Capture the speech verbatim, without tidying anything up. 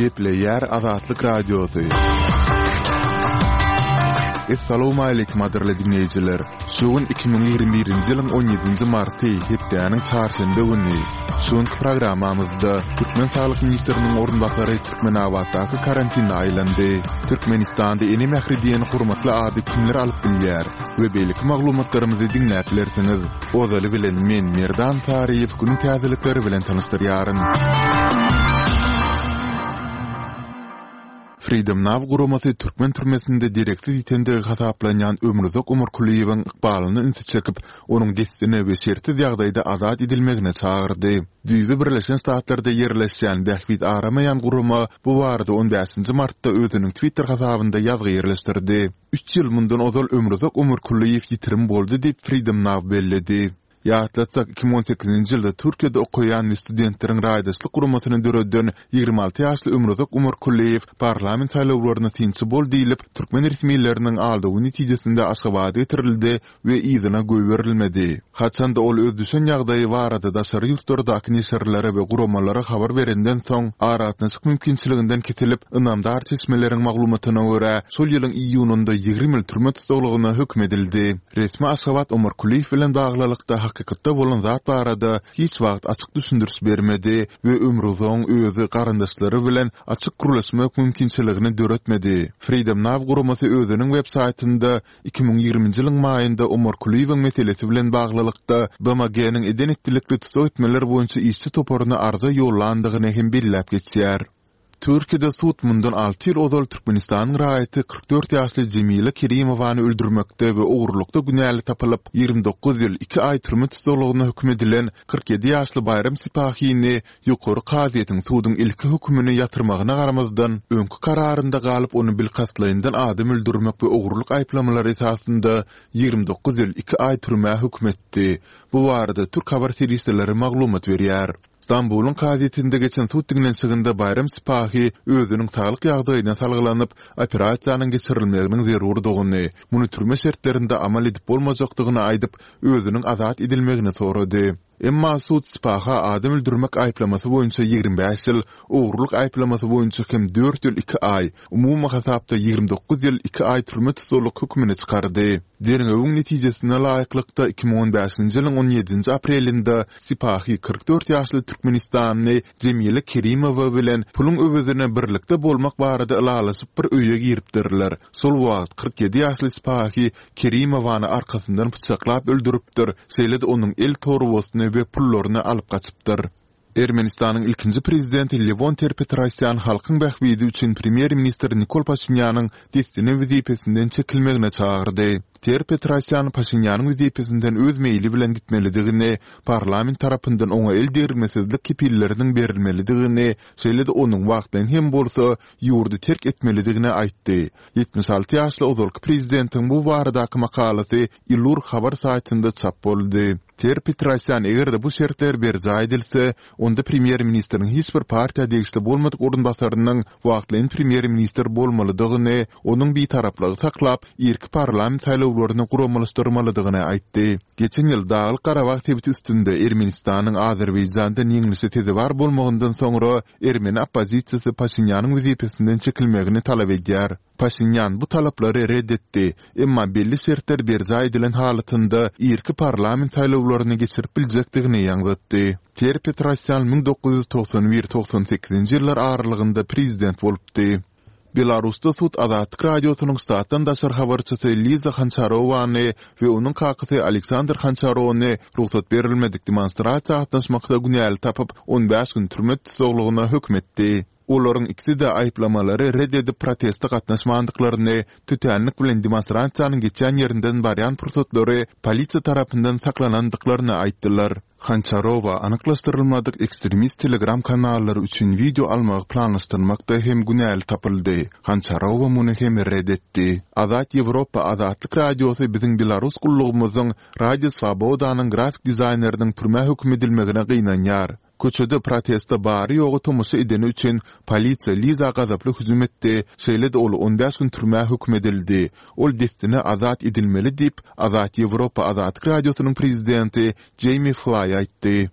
Gepleýär Azatlyk Radiosy. Essalawmaleýkim gadyrly diňleýjiler! Şu gün iki müň ýigrimi birinji ýylyň on ýedinji marty, hepdäniň çarşenbe güni. Şu günki programmamyzda türkmen saglyk ministriniň orunbasary Türkmenabatdaky karantine aýlandy. Türkmenistanda Ene mähri diýen hormatly ady kimler alyp bilýär we beýleki maglumatlarymyzy diňläp bilersiňiz. Ozaly bilen men, Merdan Saryýew günüň täzelikleri bilen tanyşdyrýaryn. Freedom Now guramasy türkmen türmesinde dereksiz ýitendigi hasaplanýan Ömruzak Omarkulyýewiň ykbalyna ünsi çekip, onuň dessine we şertsiz ýagdaýda azat edilmegine çagyrdy. Düýbi Birleşen Ştatlarda ýerleşýän Bähbit aramaýan gurama bu barada on bäşinji martda özüniň Twitter hasabynda ýazgy ýerleşdirdi. Üç ýyl mundan ozal Ömruzak Omarkulyýew ýitirim boldy diýip, Freedom Now belledi. Ýatlatsak, iki müň on sekizinji ýylda Türkiýede okaýan we studentleriň raýdaşlyk guramasyny döreden ýigrimi alty ýaşly Ömruzak Omarkulyýew parlament saýlawlaryna synçy bol diýlip, türkmen resmileriniň aldawy netijesinde Aşgabada getirildi we yzyna goýberilmedi. Haçanda ol öz düşen ýagdaýy barada daşary ýurtlardaky neşirlere we guramalara habar berenden soň, aragatnaşyk mümkinçiliginden kesilip, ynamdar çeşmeleriň maglumatyna görä, şol ýylyň iýunynda ýigrimi ýyl türme tussaglygyna höküm edildi. Resmi Aşgabat Omar Kulyýew bilen baglylykda hakykatda bolan zat barada hiç wagt açyk düşündiriş bermedi we Ömrüzoň özi garyndaşlary bilen açyk gürleşmek mümkinçiligini döretmedi. Freedom Now guramasy özüniň web saýtynda iki müň ýigriminji ýylyň maýynda Omar Kulyýewiň meselesi bilen baglylykda B M G-niň eden-etdilikli tussag etmeler boýunça işçi toparyna arza ýollandygyny hem belläp geçýär. Türkiýede sud mundan alty ýyl ozal Türkmenistanyň raýaty kyrk dört ýaşly Jemile Kerimowany öldürmekde we ogurlykda günäli tapylyp, ýigrimi dokuz ýyl iki aý türme tussaglygyna höküm edilen kyrk ýedi ýaşly Baýram Sipahini ýokary kazyýetiň suduň ilki hökümini ýatyrmagyna garamazdan, öňki kararynda galyp ony bilkastlaýyndan adam öldürmek we ogurlyk aýyplamalary esasynda ýigrimi dokuz ýyl iki aý türmä höküm etdi. Bu barada türk habar serişdeleri maglumat berýär. Stambulyň kazyýetinde geçen sud diňlenişiginde Baýram Sipahi özüniň saglyk ýagdaýyna salgylanyp, operasiýanyň geçirilmeginiň zerurdygyny, muny türme şertlerinde amal edip bolmajakdygyny aýdyp, özüniň azat edilmegini sorady. Emma sud Sipaha adam öldürmek aýyplamasy boýunça ýigrimi bäş ýyl, ogurlyk aýyplamasy boýunça hem dört ýyl iki aý, umumy hasapda ýigrimi dokuz ýyl iki aý türme tussaglyk hökümini çykardy. Derňewiň netijesine laýyklykda, iki müň on bäşinji ýylyň on ýedinji aprelinde Sipahi kyrk dört ýaşly türkmenistanly Jemile Kerimowa bilen puluň öwezine birlikde bolmak barada ylalaşyp bir öýe giripdirler. Şol wagt kyrk ýedi ýaşly Sipahi Kerimowany arkasyndan pyçaklap öldüripdir, şeýle-de onuň el torbasyny we pullaryny alyp gaçypdyr. Ermenistanyň ilkinji prezidenti Lewon Ter-Petrosýan halkyň bähbidi üçin premýer-ministr Nikol Paşinýanyň dessine wezipesinden çekilmegine çagyrdy. Ter-Petrosýan Paşinýanyň wezipesinden öz meýli bilen gitmelidigini, parlament tarapyndan oňa el degirmesizlik kepilleriniň berilmelidigini, şeýle-de onuň wagtlaýyn hem bolsa ýurdy terk etmelidigini aýtdy. Ýetmiş alty ýaşly ozalky prezidentiň bu baradaky makalasy Ilur habar saýtynda çap boldy. Ter-Petrosýan eger-de bu şertler berjaý edilse, onda premýer-ministriň hiç bir partiýa degişli bolmadyk orunbasarynyň wagtlaýyn premýer-ministr bolmalydygyny, onuň bitaraplygy saklap, irki parlament saýlawlaryny guramalaşdyrmalydygyny aýtdy. Geçen ýyl Daglyk-Garabag sebiti üstünde Ermenistanyň Azerbaýjandan ýeňlişe sezewar bolmagyndan soňra ermeni oppozisiýasy Paşinýanyň wezipesinden çekilmegini talap edýär. Paşinýan bu talaplary red etdi, emma belli şertler berjaý edilen halatynda irki parlament saýlawlaryny geçirip biljekdigini ýaňzytdy. Ter-Petrosýan müň dokuz ýüz togsan bir togsan sekizinji ýyllar aralygynda prezident bolupdy. Belarusda sud Azatlyk Radiosynyň ştatdan daşary habarçysy Liza Hançarowany we onuň kakasy Aleksandr Hançarony rugsat berilmedik demonstrasiýa gatnaşmakda günäli tapyp, on bäş gün türme tussaglygyna höküm etdi. Olaryň ikisi-de aýyplamalary red edip proteste gatnaşmandyklaryny, tötänlik bilen demonstrasiýanyň geçýän ýerinden barýan pursatlary polisiýa tarapyndan saklanandyklaryny aýtdylar. Hançarowa anyklaşdyrylmadyk ekstremist telegram kanallary üçin wideo almagy planlaşdyrmakda hem günäli tapyldy. Hançarowa muny hem red etdi. Azat Ýewropa Azatlyk Radiosy biziň belarus gullugymyzyň Radio Swobodanyň grafik dizaýneriniň türmä höküm edilmegine gynanýar. Köçede proteste bary-ýogy tomaşa edeni üçin polisiýa Liza gazaply hüjüm etdi, şeýle-de ol on bäş gün türmä höküm edildi. Ol dessine azat edilmeli diýip, Azat Ýewropa Azatlyk Radiosynyň prezidenti Jeými Flaý aýtdy.